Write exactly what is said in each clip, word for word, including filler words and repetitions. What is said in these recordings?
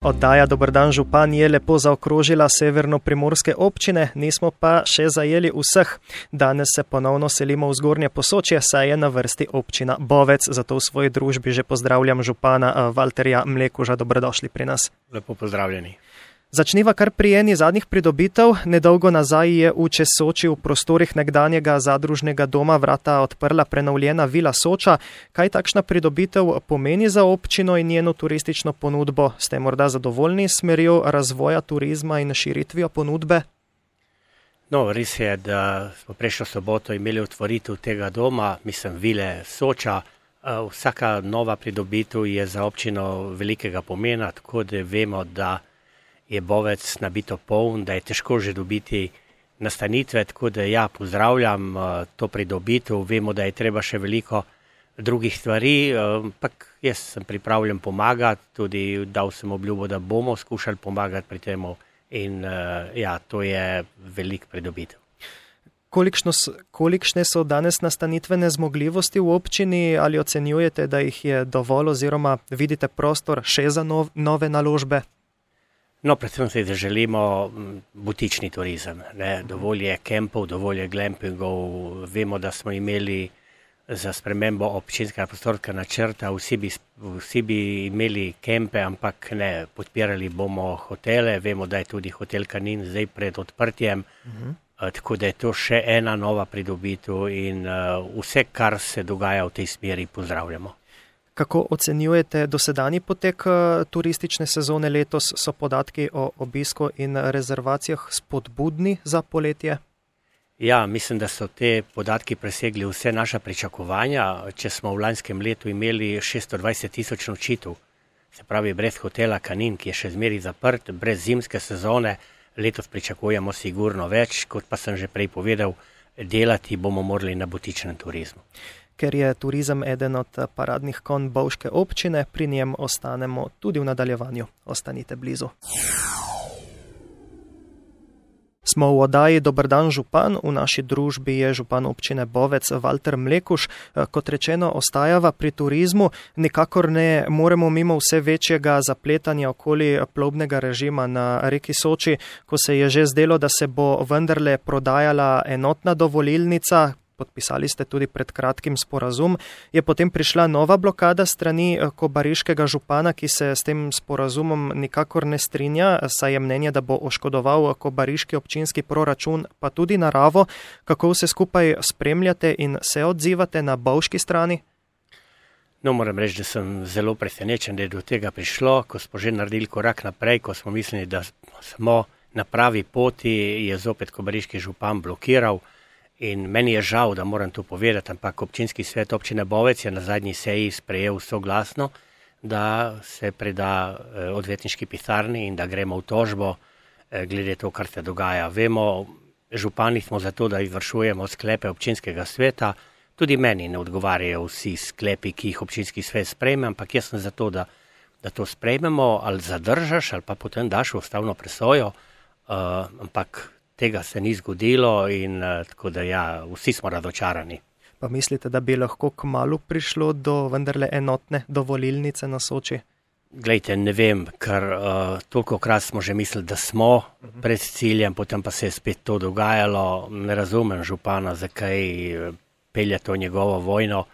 Oddaja Dober dan župan je lepo zaokrožila severno-primorske občine, nismo pa še zajeli vseh. Danes se ponovno selimo v Zgornje Posočje, saj je na vrsti občina Bovec, zato v svoji družbi že pozdravljam župana Valterja Mlekuža. Dobrodošli pri nas. Lepo pozdravljeni. Začniva kar pri eni zadnjih pridobitev. Nedolgo nazaj je v Česoči v prostorih nekdanjega zadružnega doma vrata odprla prenovljena Vila Soča. Kaj takšna pridobitev pomeni za občino in njeno turistično ponudbo? Ste morda zadovoljni s smerjo razvoja turizma in širitvijo ponudbe? No, res je, da smo prejšnjo soboto imeli otvoritev tega doma, mislim Vile Soča. Vsaka nova pridobitev je za občino velikega pomena, tako da vemo, da je Bovec nabito poln, da je težko že dobiti nastanitve, tako da ja, pozdravljam to pridobitev, vemo, da je treba še veliko drugih stvari, ampak jaz sem pripravljen pomagati, tudi dal sem obljubo, da bomo skušali pomagati pri temu in ja, to je velik pridobitev. Kolikšno, kolikšne so danes nastanitvene zmogljivosti v občini, ali ocenjujete, da jih je dovolj oziroma vidite prostor še za nov, nove naložbe? No, predvsem se želimo butični turizem, ne? Dovolj je kempov, dovolj je glampingov, vemo, da smo imeli za spremembo občinskega prostorskega načrta, vsi bi, vsi bi imeli kempe, ampak ne, podpirali bomo hotele, vemo, da je tudi hotel Kanin zdaj pred odprtjem, uh-huh. Tako da je to še ena nova pridobitev in uh, vse, kar se dogaja v tej smeri, pozdravljamo. Kako ocenjujete dosedanji potek turistične sezone letos? So podatki o obisku in rezervacijah spodbudni za poletje? Ja, mislim, da so te podatki presegli vse naša pričakovanja. Če smo v lanskem letu imeli šeststo dvajset tisoč nočitev, se pravi brez hotela Kanin, ki je še zmeraj zaprt, brez zimske sezone, letos pričakujemo sigurno več, kot pa sem že prej povedal, delati bomo morali na butičnem turizmu. Ker je turizem eden od paradnih konj bovške občine, pri njem ostanemo tudi v nadaljevanju. Ostanite blizu. Smo v oddaji Dober dan župan, v naši družbi je župan občine Bovec Valter Mlekuž. Kot rečeno, ostajava pri turizmu, nikakor ne moremo mimo vse večjega zapletanja okoli plovbnega režima na reki Soči, ko se je že zdelo, da se bo vendarle prodajala enotna dovolilnica. Podpisali ste tudi pred kratkim sporazum, je potem prišla nova blokada strani kobariškega župana, ki se s tem sporazumom nikakor ne strinja, saj je mnenje, da bo oškodoval kobariški občinski proračun, pa tudi naravo. Kako vse skupaj spremljate in se odzivate na bovški strani? No, moram reči, da sem zelo presenečen, da je do tega prišlo, ko smo že naredili korak naprej, ko smo mislili, da smo na pravi poti, je zopet kobariški župan blokiral. In meni je žal, da moram to povedati, ampak občinski svet občine Bovec je na zadnji seji sprejel soglasno, da se preda odvetniški pisarni in da gremo v tožbo glede to, kar se dogaja. Vemo, župani smo zato, da izvršujemo sklepe občinskega sveta, tudi meni ne odgovarjajo vsi sklepi, ki jih občinski svet sprejme, ampak jaz sem zato, da, da to sprejmemo, ali zadržaš, ali pa potem daš v ustavno presojo, uh, ampak tega se ni zgodilo in uh, tako da ja, vsi smo razočarani. Pa mislite, da bi lahko kmalu prišlo do vendarle enotne dovolilnice na Soči? Glejte, ne vem, ker uh, tolikokrat smo že mislili, da smo uh-huh. pred ciljem, potem pa se je spet to dogajalo. Ne razumem župana, zakaj pelje to njegovo vojno.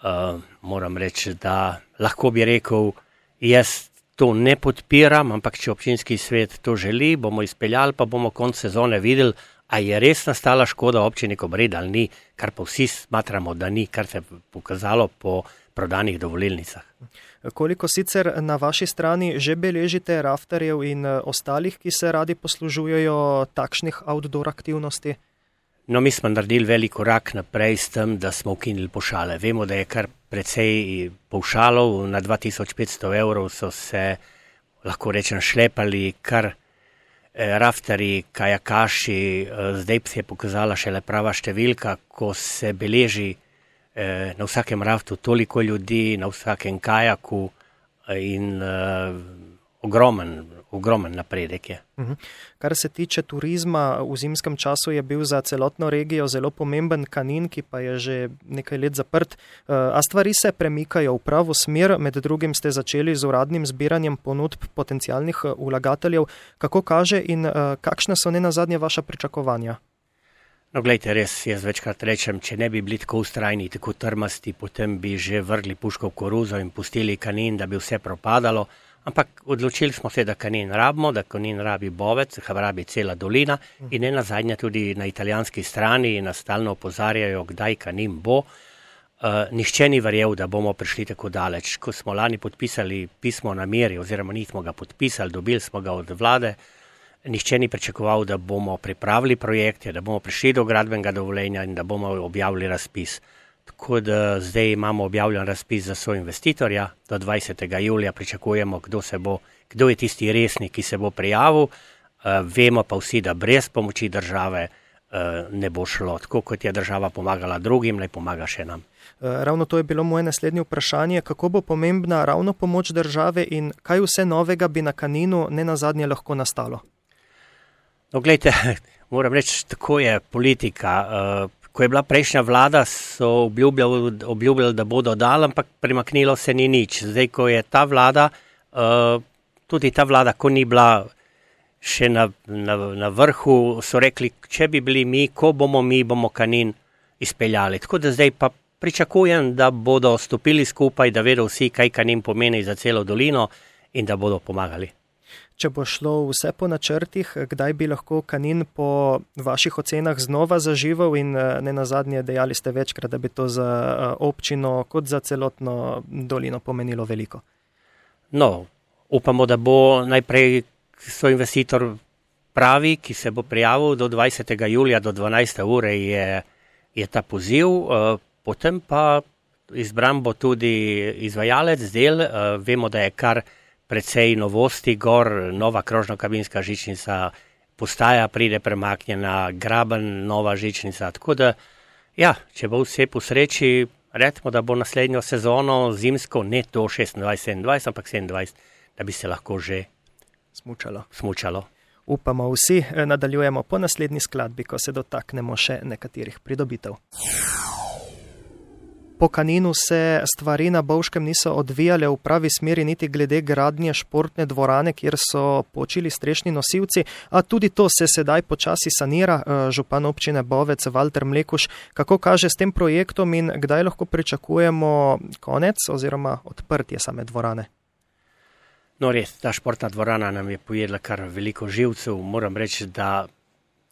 Uh, moram reči, da lahko bi rekel, jaz to ne podpiram, ampak če občinski svet to želi, bomo izpeljali, pa bomo konec sezone videli, a je res nastala škoda občini Kobarid ali ni, kar pa vsi smatramo, da ni, kar se je pokazalo po prodanih dovolilnicah. Koliko sicer na vaši strani že beležite raftarjev in ostalih, ki se radi poslužujejo takšnih outdoor aktivnosti? No, mi smo naredili velik korak naprej s tem, da smo ukinili pavšale. Vemo, da je kar precej pavšalov, na dva tisoč petsto evrov so se, lahko rečem, šlepali kar eh, raftarji, kajakaši. Eh, zdaj se je pokazala šele prava številka, ko se beleži eh, na vsakem raftu toliko ljudi, na vsakem kajaku eh, in eh, ogromen, ogromen napredek je. Kar se tiče turizma, v zimskem času je bil za celotno regijo zelo pomemben Kanin, ki pa je že nekaj let zaprt. A stvari se premikajo v pravo smer, med drugim ste začeli z uradnim zbiranjem ponudb potencialnih vlagateljev. Kako kaže in kakšne so nenazadnje vaša pričakovanja? No, gledajte, res, jaz večkrat rečem, če ne bi bili tako ustrajni, tako trmasti, potem bi že vrgli puško v koruzo in pustili Kanin, da bi vse propadalo. Ampak odločili smo se, da Kanin rabimo, da Kanin rabi Bovec, ga rabi cela dolina in ne nazadnje tudi na italijanski strani nas stalno opozarjajo, kdaj Kanin bo. Uh, nihče ni verjel, da bomo prišli tako daleč. Ko smo lani podpisali pismo o nameri, oziroma nismo ga podpisali, dobili smo ga od vlade, nihče ni pričakoval, da bomo pripravili projekte, da bomo prišli do gradbenega dovoljenja in da bomo objavili razpis. Tako da zdaj imamo objavljen razpis za soinvestitorja, do dvajsetega julija pričakujemo, kdo se bo, kdo je tisti resni, ki se bo prijavil. Uh, vemo pa vsi, da brez pomoči države uh, ne bo šlo. Tako kot je država pomagala drugim, naj pomaga še nam. Ravno to je bilo moje naslednje vprašanje, kako bo pomembna ravno pomoč države in kaj vse novega bi na Kaninu nenazadnje lahko nastalo? No, gledajte, moram reči, tako je politika. Uh, Ko je bila prejšnja vlada, so obljubljali, obljubljali, da bodo dali, ampak premaknilo se ni nič. Zdaj, ko je ta vlada, uh, tudi ta vlada, ko ni bila še na, na, na vrhu, so rekli, če bi bili mi, ko bomo mi, bomo Kanin izpeljali. Tako da zdaj pa pričakujem, da bodo stopili skupaj, da vedo vsi, kaj Kanin pomeni za celo dolino in da bodo pomagali. Če bo šlo vse po načrtih, kdaj bi lahko Kanin po vaših ocenah znova zaživel in nenazadnje dejali ste večkrat, da bi to za občino kot za celotno dolino pomenilo veliko? No, upamo, da bo najprej soinvestitor pravi, ki se bo prijavil do dvajsetega julija do dvanajste ure je, je ta poziv, potem pa izbran bo tudi izvajalec del, vemo, da je kar precej novosti, gor nova krožno-kabinska žičnica, postaja pride premaknjena, graben, nova žičnica, tako da, ja, če bo vse po sreči, recimo, da bo naslednjo sezono zimsko, ne to šestindvajset sedemindvajset, ampak sedemindvajset, da bi se lahko že smučalo. smučalo. Upamo vsi, nadaljujemo po naslednji skladbi, ko se dotaknemo še nekaterih pridobitev. Po Kaninu se stvari na Bovškem niso odvijale v pravi smeri niti glede gradnje športne dvorane, kjer so počili strešni nosilci, a tudi to se sedaj počasi sanira. Župan občine Bovec Valter Mlekuš, kako kaže s tem projektom in kdaj lahko pričakujemo konec oziroma odprtje same dvorane? No res, ta športna dvorana nam je pojedla kar veliko živcev, moram reči, da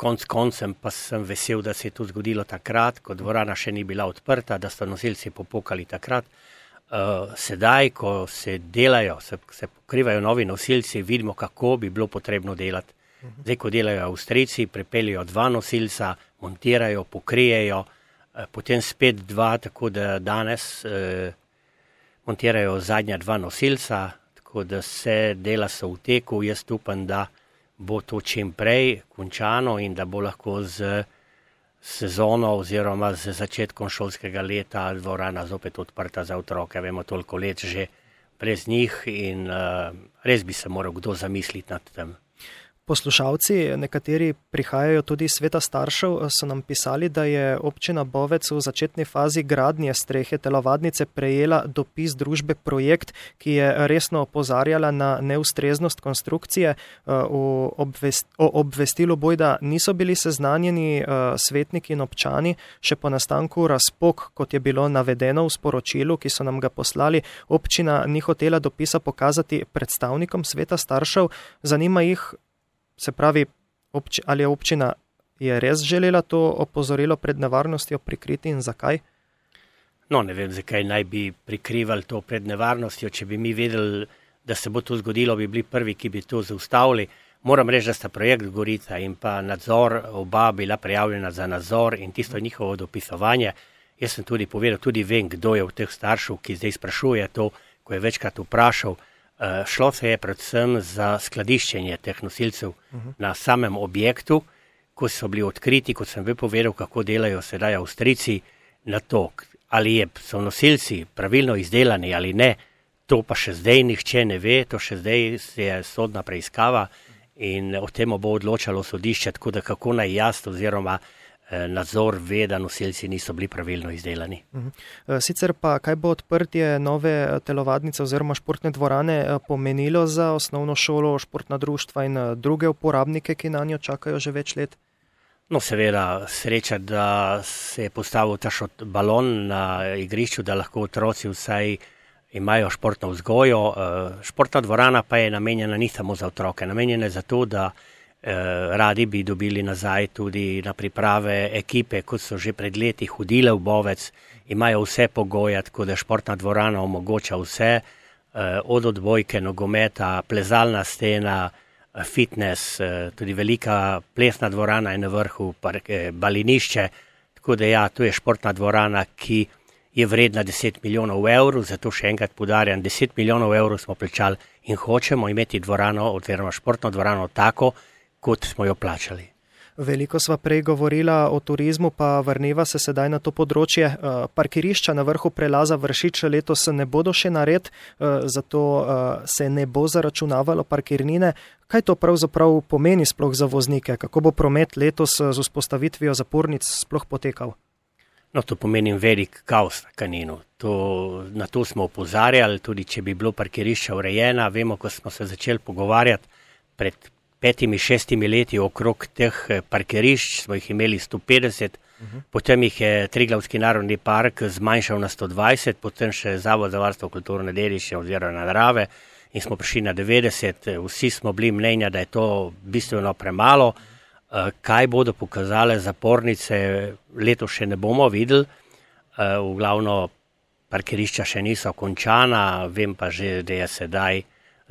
konc koncem pa sem vesel, da se je to zgodilo takrat, ko dvorana še ni bila odprta, da so nosilci popokali takrat. Uh, sedaj, ko se delajo, se, se pokrivajo novi nosilci, vidimo, kako bi bilo potrebno delati. Zdaj, ko delajo Avstrijci, pripeljajo dva nosilca, montirajo, pokrijejo, uh, potem spet dva, tako da danes uh, montirajo zadnja dva nosilca, tako da se dela so v teku. Jaz upam, da bo to čim prej končano in da bo lahko z sezono oziroma z začetkom šolskega leta dvorana zopet odprta za otroke. Vemo, toliko let že brez njih in uh, res bi se moral kdo zamisliti nad tem. Poslušalci, nekateri prihajajo tudi iz sveta staršev, so nam pisali, da je občina Bovec v začetni fazi gradnje strehe telovadnice prejela dopis družbe Projekt, ki je resno opozarjala na neustreznost konstrukcije. O, obvest, o obvestilu bojda niso bili seznanjeni svetniki in občani, še po nastanku razpok, kot je bilo navedeno v sporočilu, ki so nam ga poslali. Občina ni hotela dopisa pokazati predstavnikom sveta staršev, zanima jih, se pravi, obči, ali je občina je res želela to opozorilo pred nevarnostjo prikriti in zakaj? No, ne vem, zakaj naj bi prikrivali to pred nevarnostjo. Če bi mi vedeli, da se bo to zgodilo, bi bili prvi, ki bi to zaustavili. Moram reči, da sta projekt Gorica in pa nadzor oba bila prijavljena za nadzor in tisto njihovo dopisovanje. Jaz sem tudi povedal, tudi vem, kdo je v teh staršev, ki zdaj sprašuje to, ko je večkrat vprašal. Uh, šlo se je predvsem za skladiščenje teh nosilcev uh-huh. na samem objektu, ko so bili odkriti, kot sem bi povedal, kako delajo sedaj Avstrijci na to, ali je, so nosilci pravilno izdelani ali ne, To pa še zdaj nihče ne ve, to še zdaj je sodna preiskava in o tem bo odločalo sodišče, tako da kako naj jaz oziroma nadzor ve, da nosilci niso bili pravilno izdelani. Sicer pa, kaj bo odprtje nove telovadnice oziroma športne dvorane pomenilo za osnovno šolo, športna društva in druge uporabnike, ki na njo čakajo že več let? No, seveda, sreča, da se je postavil ta balon na igrišču, da lahko otroci vsaj imajo športno vzgojo. Športna dvorana pa je namenjena ni samo za otroke, namenjena je za to, da radi bi dobili nazaj tudi na priprave ekipe, kot so že pred leti hodile v Bovec, imajo vse pogoje, tako da športna dvorana omogoča vse, od odbojke, nogometa, plezalna stena, fitness, tudi velika plesna dvorana je na vrhu, balinišče, tako da ja, to je športna dvorana, ki je vredna deset milijonov evrov, zato še enkrat poudarjam, deset milijonov evrov smo plačali in hočemo imeti dvorano, oziroma športno dvorano tako, kot smo jo plačali. Veliko sva prej govorila o turizmu, pa vrneva se sedaj na to področje. Parkirišča na vrhu prelaza Vršič letos ne bodo še nared, zato se ne bo zaračunavalo parkirnine. Kaj to pravzaprav pomeni sploh za voznike? Kako bo promet letos z vzpostavitvijo zapornic sploh potekal? No, to pomeni velik kaos na Kaninu. To, na to smo opozarjali, tudi če bi bilo parkirišča urejena. Vemo, ko smo se začeli pogovarjati pred petimi, šestimi leti okrog teh parkirišč, smo jih imeli sto petdeset, uh-huh. Potem jih je Triglavski narodni park zmanjšal na sto dvajset, potem še Zavod za varstvo kulturne dediščine oziroma narave in smo prišli na devetdeset. Vsi smo bili mnenja, da je to bistveno premalo. Kaj bodo pokazale zapornice, letos še ne bomo videli. V glavno parkirišča še niso končana, vem pa že, da je sedaj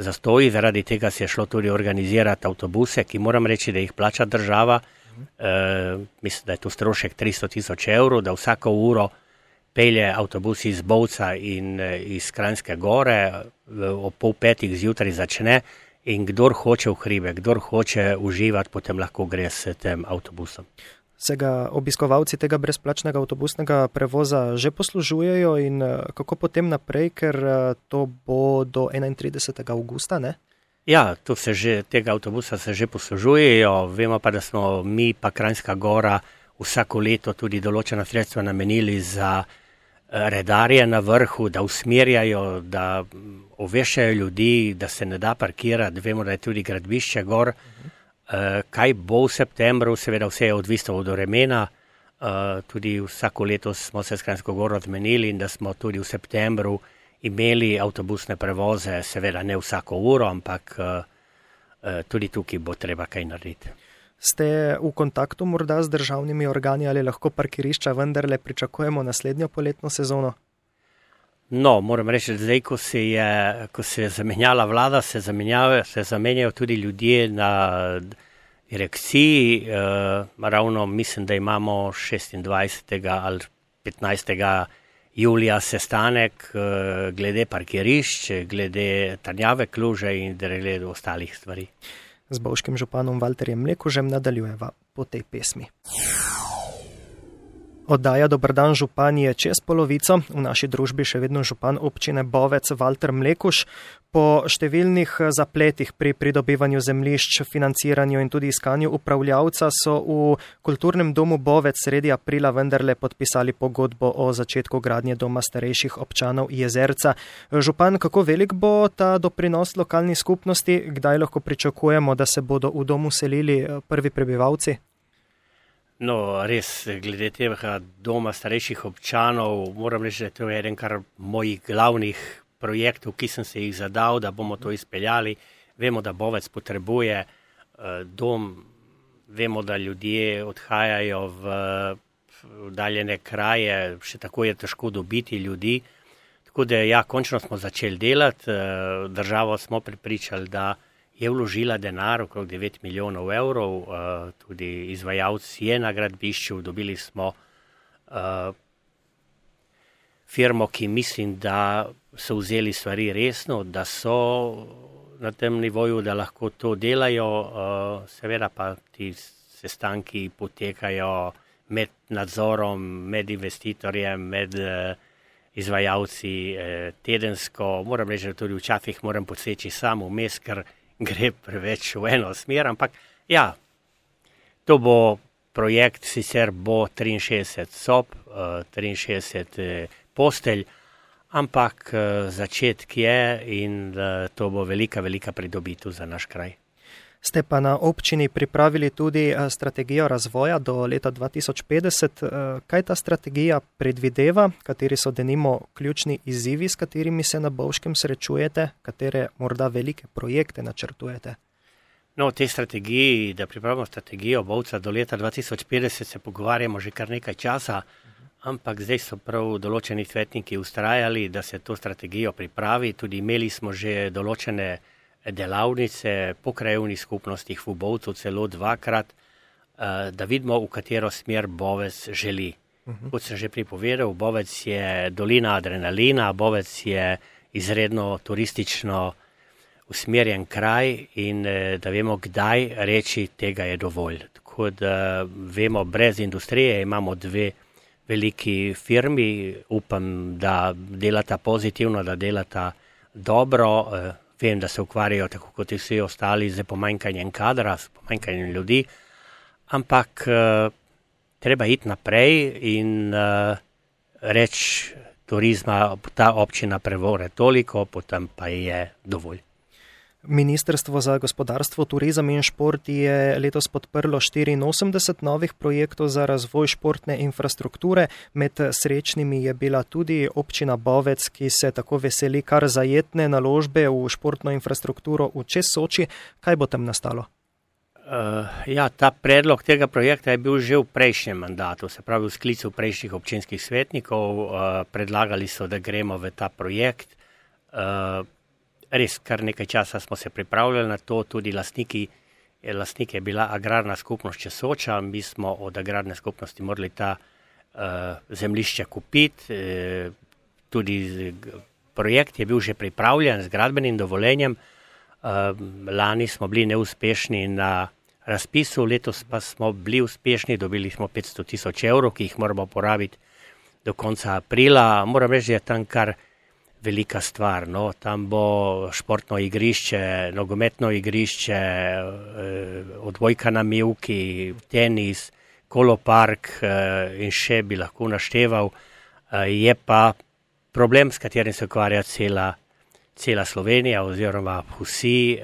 zastoji, zaradi tega se je šlo tudi organizirati avtobuse, ki moram reči, da jih plača država. E, mislim, da je to strošek tristo tisoč evrov, da vsako uro pelje avtobus iz Bovca in iz Kranjske Gore, ob pol petih zjutraj začne in kdor hoče v hribe, kdor hoče uživati, potem lahko gre s tem avtobusom. Se ga obiskovalci tega brezplačnega avtobusnega prevoza že poslužujejo in kako potem naprej, ker to bo do enaintridesetega avgusta, ne? Ja, to se že, tega avtobusa se že poslužujejo, vemo pa, da smo mi pa Kranjska Gora vsako leto tudi določena sredstva namenili za redarje na vrhu, da usmerjajo, da oveščajo ljudi, da se ne da parkirati, vemo, da je tudi gradbišče gor. Kaj bo v septembru, seveda vse je odvisno od vremena, tudi vsako leto smo se s Kranjsko Goro zmenili in da smo tudi v septembru imeli avtobusne prevoze, seveda ne vsako uro, ampak tudi tukaj bo treba kaj narediti. Ste v kontaktu morda z državnimi organi ali lahko parkirišča vendarle pričakujemo naslednjo poletno sezono? No, moram reči, da zdaj, ko se je, ko se je zamenjala vlada, se zamenjajo, se zamenjajo tudi ljudje na direkciji. E, ravno mislim, da imamo šestindvajsetega ali petnajstega julija sestanek e, glede parkirišč, glede Trnjave Kluže in glede ostalih stvari. Z bovškim županom Valterjem Mlekužem nadaljujeva po tej pesmi. Oddaja Dober dan župan je čez polovico, v naši družbi še vedno župan občine Bovec Valter Mlekuž. Po številnih zapletih pri pridobivanju zemljišč, financiranju in tudi iskanju upravljavca so v Kulturnem domu Bovec sredi aprila vendarle podpisali pogodbo o začetku gradnje doma starejših občanov Jezerca. Župan, kako velik bo ta doprinos lokalni skupnosti? Kdaj lahko pričakujemo, da se bodo v domu selili prvi prebivalci? No, res, glede tega doma starejših občanov, moram reči, da to je eden kar mojih glavnih projektov, ki sem se jih zadal, da bomo to izpeljali. Vemo, da Bovec potrebuje uh, dom, vemo, da ljudje odhajajo v oddaljene kraje, še tako je težko dobiti ljudi. Tako da ja, končno smo začeli delati, uh, državo smo prepričali, da je vložila denar, okrog devet milijonov evrov, uh, tudi izvajalec je na gradbišču, dobili smo uh, firmo, ki mislim, da so vzeli stvari resno, da so na tem nivoju, da lahko to delajo, uh, seveda pa ti sestanki potekajo med nadzorom, med investitorjem, med uh, izvajalci eh, tedensko. Moram reči, da tudi včasih moram poseči sam vmes, ker gre preveč v eno smer, ampak ja, to bo projekt, sicer bo triinšestdeset sob, eh, triinšestdeset eh, postelj, ampak eh, začetek je in eh, to bo velika, velika pridobitev za naš kraj. Ste pa na občini pripravili tudi strategijo razvoja do leta dva tisoč petdeset. Kaj ta strategija predvideva, kateri so denimo ključni izzivi, s katerimi se na Bovškem srečujete, katere morda velike projekte načrtujete? No, o tej strategiji, da pripravimo strategijo Bovca do leta dva tisoč petdeset, se pogovarjamo že kar nekaj časa, ampak zdaj so prav določeni svetniki ustrajali, da se to strategijo pripravi. Tudi imeli smo že določene delavnice po krajevnih skupnostih v Bovcu, celo dvakrat, da vidimo, v katero smer Bovec želi. Uh-huh. Kot sem že pripovedal, Bovec je dolina adrenalina, Bovec je izredno turistično usmerjen kraj in da vemo, kdaj reči, tega je dovolj. Tako da vemo, brez industrije imamo dve veliki firmi, upam, da delata pozitivno, da delata dobro. Vem, da se ukvarjajo tako kot vsi ostali z pomanjkanjem kadra, z pomanjkanjem ljudi, ampak uh, treba iti naprej in uh, reči turizma, ta občina prevore toliko, potem pa je dovolj. Ministrstvo za gospodarstvo, turizem in šport je letos podprlo štiriinosemdeset novih projektov za razvoj športne infrastrukture. Med srečnimi je bila tudi občina Bovec, ki se tako veseli kar zajetne naložbe v športno infrastrukturo v čez Soči. Kaj bo tam nastalo? Uh, ja, ta predlog tega projekta je bil že v prejšnjem mandatu, se pravi v sklicu prejšnjih občinskih svetnikov. Uh, predlagali so, da gremo v ta projekt. Uh, Res, kar nekaj časa smo se pripravljali na to, tudi lastniki, lastnik je bila agrarna skupnost Česoča, mi smo od agrarne skupnosti morali ta uh, zemljišče kupiti, e, tudi projekt je bil že pripravljen z gradbenim dovoljenjem, uh, lani smo bili neuspešni na razpisu, letos pa smo bili uspešni, dobili smo petsto tisoč evrov, ki jih moramo porabiti do konca aprila. Moram reči, da je tam kar velika stvar, no, tam bo športno igrišče, nogometno igrišče, odbojka na mivki, tenis, kolopark in še bi lahko našteval. Je pa problem, s katerim se ukvarja cela, cela Slovenija oziroma vsi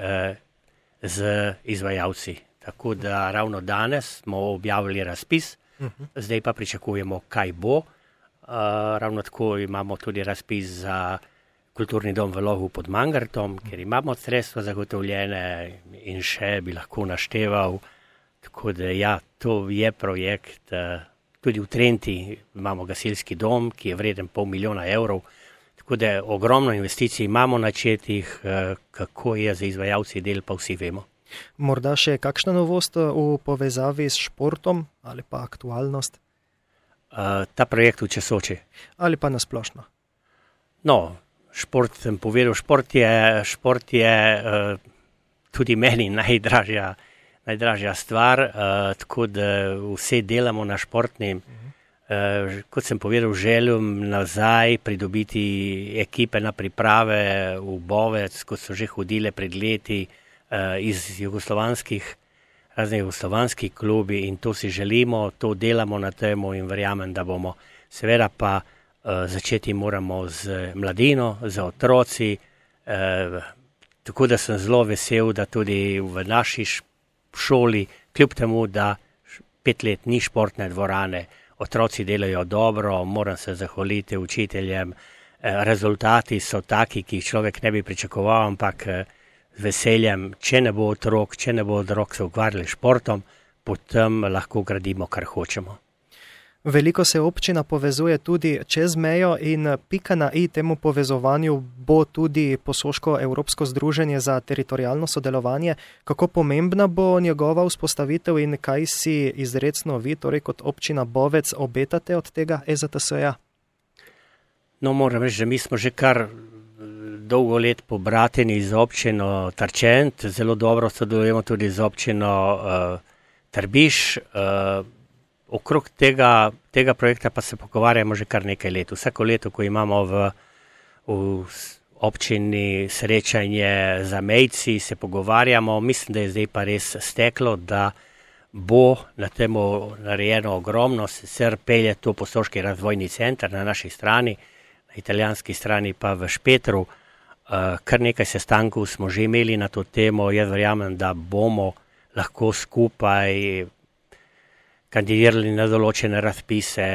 z izvajalci. Tako da ravno danes smo objavili razpis, zdaj pa pričakujemo, kaj bo. Uh, ravno tako imamo tudi razpis za kulturni dom v Logu pod Mangartom, kjer imamo sredstva zagotovljene in še bi lahko našteval. Tako da ja, to je projekt. Uh, tudi v Trenti imamo gasilski dom, ki je vreden pol milijona evrov. Tako da ogromno investicij imamo načetih, uh, kako je za izvajalci del, pa vsi vemo. Morda še kakšna novost v povezavi s športom ali pa aktualnost? Uh, ta projekt v Česoči. Ali pa nasplošno? No, šport sem povedal, šport je, šport je uh, tudi meni najdražja, najdražja stvar, uh, tako da vse delamo na športnim. Uh, kot sem povedal, želim nazaj pridobiti ekipe na priprave v Bovec, kot so že hodile pred leti uh, iz jugoslovanskih razne jugoslovanski klubi in to si želimo, to delamo na temu in verjamem, da bomo. Seveda pa uh, začeti moramo z mladino, z otroci, uh, tako da sem zelo vesel, da tudi v naši šoli, kljub temu, da pet let ni športne dvorane, otroci delajo dobro, moram se zahvaliti učiteljem, uh, rezultati so taki, ki jih človek ne bi pričakoval, ampak uh, veseljem, če ne bo otrok, če ne bo otrok se ukvarjali športom, potem lahko gradimo, kar hočemo. Veliko se občina povezuje tudi čez mejo in pika na i temu povezovanju bo tudi Posoško-Evropsko združenje za teritorialno sodelovanje. Kako pomembna bo njegova vzpostavitev in kaj si izrecno vi, torej kot občina Bovec, obetate od tega E Z T S-ja? No, moram reči, da mi smo že kar dolgo let pobrateni z občino Tarčent, zelo dobro sodelujemo tudi z občino uh, Trbiš. Uh, okrog tega, tega projekta pa se pogovarjamo že kar nekaj let. Vsako leto, ko imamo v, v občini srečanje za mejci, se pogovarjamo. Mislim, da je zdaj pa res steklo, da bo na temu narejeno ogromno, sicer pelje to Posoški razvojni center na naši strani, na italijanski strani pa v Špetru. Kar nekaj sestankov smo že imeli na to temo. Jaz verjamem, da bomo lahko skupaj kandidirali na določene razpise.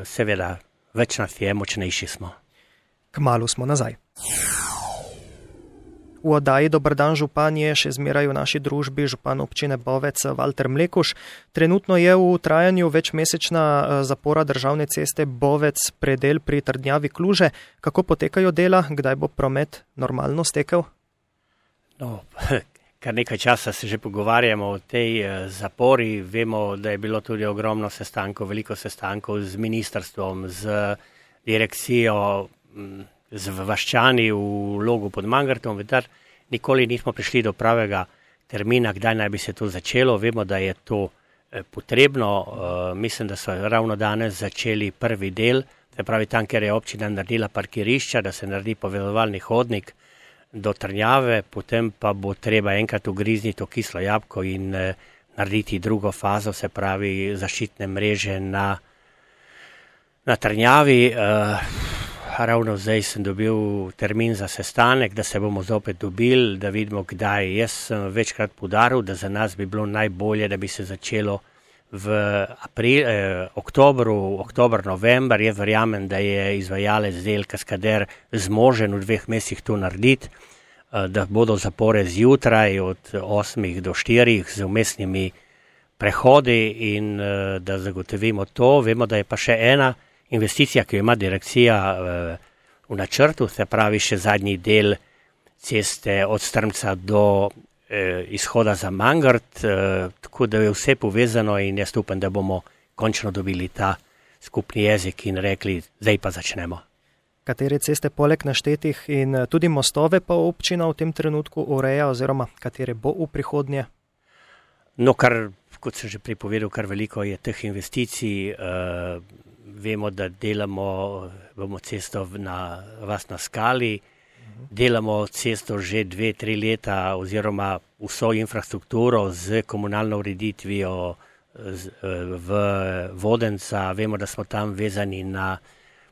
Seveda, več nas je, močnejši smo. Kmalu smo nazaj. V oddaji Dober dan župan je še zmeraj v naši družbi župan občine Bovec Valter Mlekuš. Trenutno je v trajanju večmesečna zapora državne ceste Bovec predel pri Trdnjavi Kluže. Kako potekajo dela? Kdaj bo promet normalno stekel? No, kar nekaj časa se že pogovarjamo o tej zapori. Vemo, da je bilo tudi ogromno sestankov, veliko sestankov z ministrstvom, z direkcijo, z Vaščani v Logu pod Mangartom, vendar nikoli nismo prišli do pravega termina, kdaj naj bi se to začelo. Vemo, da je to potrebno. Mislim, da so ravno danes začeli prvi del, se pravi tam, kjer je občina naredila parkirišča, da se naredi povezovalni hodnik do Trnjave, potem pa bo treba enkrat ugrizniti to kislo jabolko in narediti drugo fazo, se pravi zaščitne mreže na, na Trnjavi. Ravno zdaj sem dobil termin za sestanek, da se bomo zopet dobili, da vidimo, kdaj. Jaz sem večkrat poudaril, da za nas bi bilo najbolje, da bi se začelo v april, eh, oktobru, oktober, november. Jaz verjamem, da je izvajalec del Kaskader zmožen v dveh mesecih to narediti, eh, da bodo zapore zjutraj od osmih do štirih z vmesnimi prehodi in eh, da zagotovimo to. Vemo, da je pa še ena investicija, ki jo ima direkcija v načrtu, se pravi še zadnji del ceste od Strmca do izhoda za Mangart, tako da je vse povezano in jaz upam, da bomo končno dobili ta skupni jezik in rekli, zdaj pa začnemo. Katere ceste poleg naštetih in tudi mostove pa občina v tem trenutku ureja oziroma katere bo v prihodnje? No, kar, kot sem že pripovedal, kar veliko je teh investicij. Vemo, da delamo, bomo cesto na Vas na Skali, delamo cesto že dve, tri leta oziroma vso infrastrukturo z komunalno ureditvijo v Vodenca. Vemo, da smo tam vezani na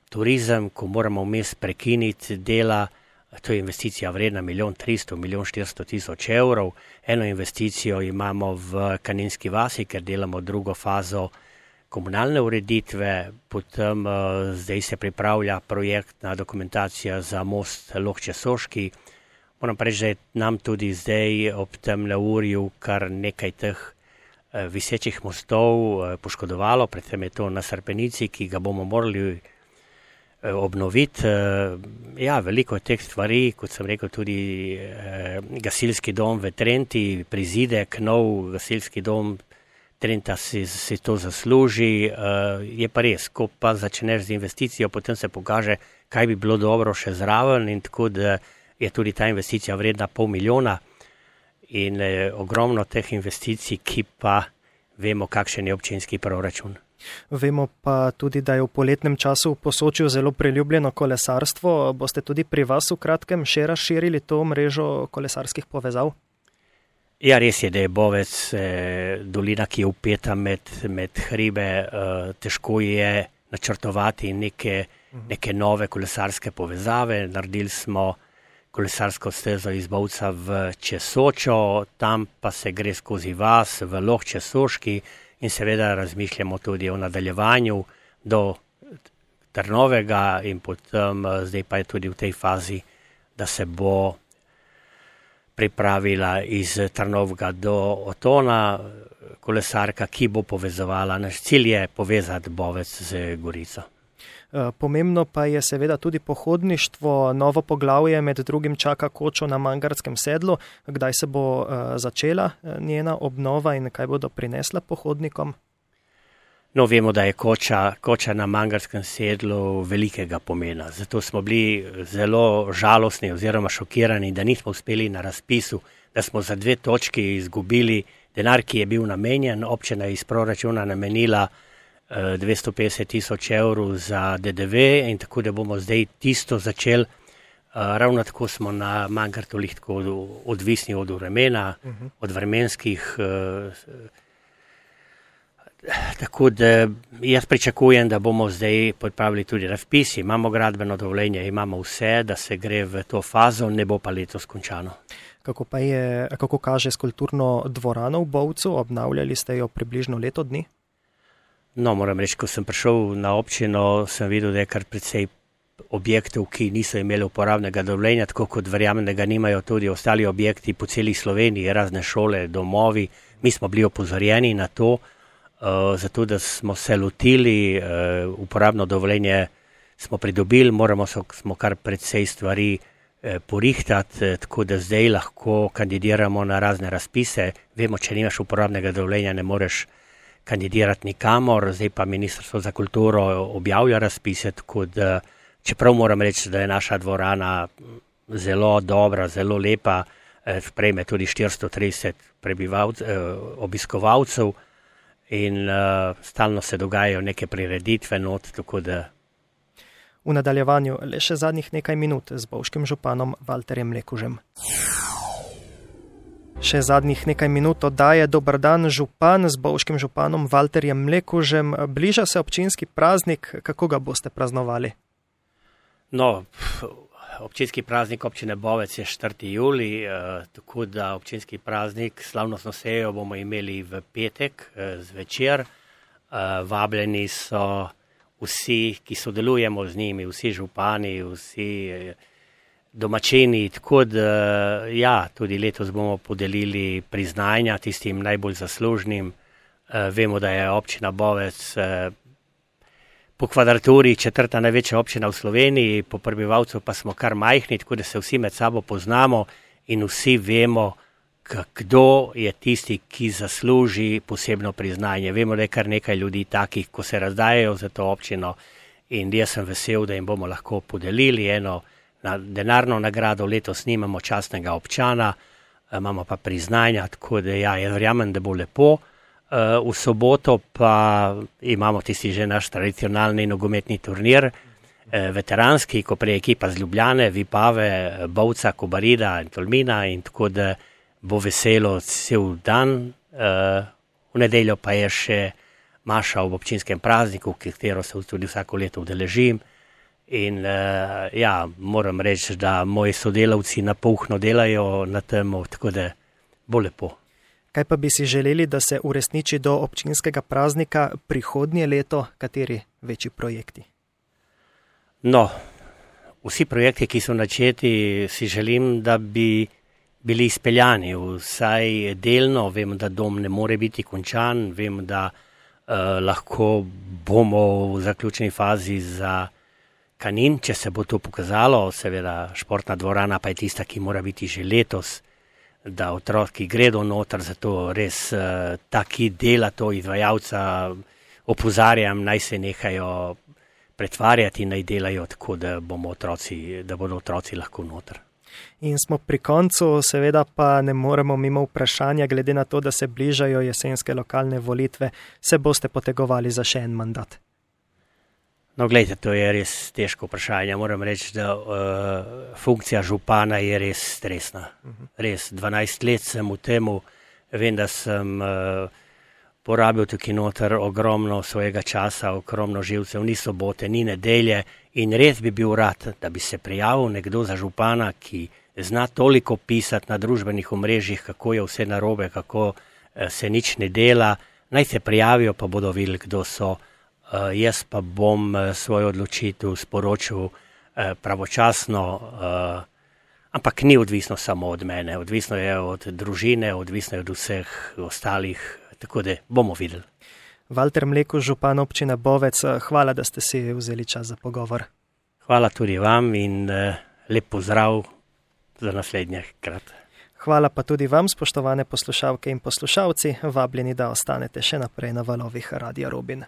turizem, ko moramo vmes prekiniti dela. To je investicija vredna milijon tristo, milijon štiristo tisoč evrov. Eno investicijo imamo v Kaninski vasi, ker delamo drugo fazo komunalne ureditve, potem uh, zdaj se pripravlja projektna dokumentacija za most Lohče-Soški. Moram pa reči, da je nam tudi zdaj ob tem neurju kar nekaj teh uh, visečih mostov uh, poškodovalo, predvsem je to na Srpenici, ki ga bomo morali uh, obnoviti. Uh, ja, veliko je teh stvari, kot sem rekel, tudi uh, gasilski dom v Trenti, prizidek, nov gasilski dom Trenta si, si to zasluži, uh, je pa res, ko pa začneš z investicijo, potem se pokaže, kaj bi bilo dobro še zraven in tako, da je tudi ta investicija vredna pol milijona in eh, ogromno teh investicij, ki pa vemo, kakšen je občinski proračun. Vemo pa tudi, da je v poletnem času v Posočju zelo priljubljeno kolesarstvo. Boste tudi pri vas v kratkem še razširili to mrežo kolesarskih povezav? Ja, res je, da je Bovec eh, dolina, ki je upeta med, med hribe, eh, težko je načrtovati neke, neke nove kolesarske povezave. Naredili smo kolesarsko stezo iz Bovca v Česočo, tam pa se gre skozi vas v Lohče-Soški in seveda razmišljamo tudi o nadaljevanju do Trnovega in potem zdaj pa je tudi v tej fazi, da se bo pripravila iz Trnovega do Otona kolesarka, ki bo povezovala. Naš cilj je povezati Bovec z Gorico. Pomembno pa je seveda tudi pohodništvo. Novo poglavje med drugim čaka Kočo na Mangartskem sedlu. Kdaj se bo začela njena obnova in kaj bodo prinesla pohodnikom? No, vemo, da je Koča, Koča na Mangartskem sedlu velikega pomena. Zato smo bili zelo žalostni oziroma šokirani, da nismo uspeli na razpisu, da smo za dve točki izgubili denar, ki je bil namenjen. Občina je iz proračuna namenila dvesto petdeset tisoč evrov za D D V in tako da bomo zdaj tisto začeli. Ravno tako smo na Mangartu tako odvisni od vremena, uh-huh. od vremenskih. Tako da jaz pričakujem, da bomo zdaj pripravili tudi razpis, imamo gradbeno dovoljenje, imamo vse, da se gre v to fazo, ne bo pa letos končano. Kako pa je, kako kaže s kulturno dvorano v Bovcu, obnavljali ste jo približno leto dni? No, moram reči, ko sem prišel na občino, sem videl, da je kar precej objektov, ki niso imeli uporabnega dovoljenja, tako kot verjamem, da ga nimajo tudi ostali objekti po celi Sloveniji, razne šole, domovi. Mi smo bili opozorjeni na to, uh, zato da smo se lotili, uh, uporabno dovoljenje smo pridobili, moramo so, smo kar precej stvari uh, porihtati, uh, tako da zdaj lahko kandidiramo na razne razpise. Vemo, če nimaš uporabnega dovoljenja, ne moreš kandidirati nikamor, zdaj pa Ministrstvo za kulturo objavlja razpise, tako da čeprav moram reči, da je naša dvorana zelo dobra, zelo lepa, sprejme tudi štiristo trideset obiskovalcev in uh, stalno se dogajajo neke prireditve not, tako da. V nadaljevanju le še zadnjih nekaj minut z bovškim županom Valterjem Mlekužem. Še zadnjih nekaj minut oddaje Dober dan, župan z bovškim županom Valterjem Mlekužem. Bliža se občinski praznik, kako ga boste praznovali? No, občinski praznik občine Bovec je četrtega julija, eh, tako da občinski praznik, slavnostno sejo bomo imeli v petek eh, zvečer. Eh, vabljeni so vsi, ki sodelujemo z njimi, vsi župani, vsi eh, domačini, tako da ja, tudi letos bomo podelili priznanja tistim najbolj zaslužnim. Eh, vemo, da je občina Bovec eh, po kvadraturi četrta največja občina v Sloveniji, po prebivalcu pa smo kar majhni, tako da se vsi med sabo poznamo in vsi vemo, kdo je tisti, ki zasluži posebno priznanje. Vemo, da je kar nekaj ljudi takih, ko se razdajajo za to občino in jaz sem vesel, da jim bomo lahko podelili eno na denarno nagrado. Letos nimamo častnega občana, imamo pa priznanja, tako da ja, jaz verjamem, da bo lepo. V soboto pa imamo tisti že naš tradicionalni nogometni turnir, veteranski, ko prej ekipa z Ljubljane, Vipave, Bovca, Kobarida in Tolmina in tako da bo veselo cel dan. V nedeljo pa je še maša ob občinskem prazniku, katero se tudi vsako leto udeležim. In ja, moram reči, da moji sodelavci napuhno delajo na tem, tako da bo lepo. Kaj pa bi si želeli, da se uresniči do občinskega praznika prihodnje leto, kateri večji projekti? No, vsi projekti, ki so načeti, si želim, da bi bili izpeljani, vsaj delno. Vem, da dom ne more biti končan, vem, da uh, lahko bomo v zaključni fazi za Kanin, če se bo to pokazalo. Seveda športna dvorana pa je tista, ki mora biti že letos, da otroki gredo noter, zato res uh, taki dela to izvajalca opozarjam, naj se nehajo pretvarjati, naj delajo tako, da, bomo otroci, da bodo otroci lahko noter. In smo pri koncu, seveda pa ne moremo mimo vprašanja, glede na to, da se bližajo jesenske lokalne volitve, se boste potegovali za še en mandat? No, gledajte, to je res težko vprašanje. Moram reči, da uh, funkcija župana je res stresna. Uh-huh. Res, dvanajst let sem v temu, vem, da sem uh, porabil tukaj noter ogromno svojega časa, ogromno živcev, ni sobote, ni nedelje in res bi bil rad, da bi se prijavil nekdo za župana, ki zna toliko pisati na družbenih omrežjih, kako je vse narobe, kako uh, se nič ne dela. Naj se prijavijo, pa bodo videli, kdo so. Uh, jaz pa bom uh, svojo odločitev sporočil uh, pravočasno, uh, ampak ni odvisno samo od mene, odvisno je od družine, odvisno je od vseh ostalih, tako da bomo videli. Valter Mlekuž, župan občine Bovec, hvala, da ste si vzeli čas za pogovor. Hvala tudi vam in uh, lep pozdrav za naslednje krat. Hvala pa tudi vam, spoštovane poslušalke in poslušalci, vabljeni, da ostanete še naprej na valovih Radia Robin.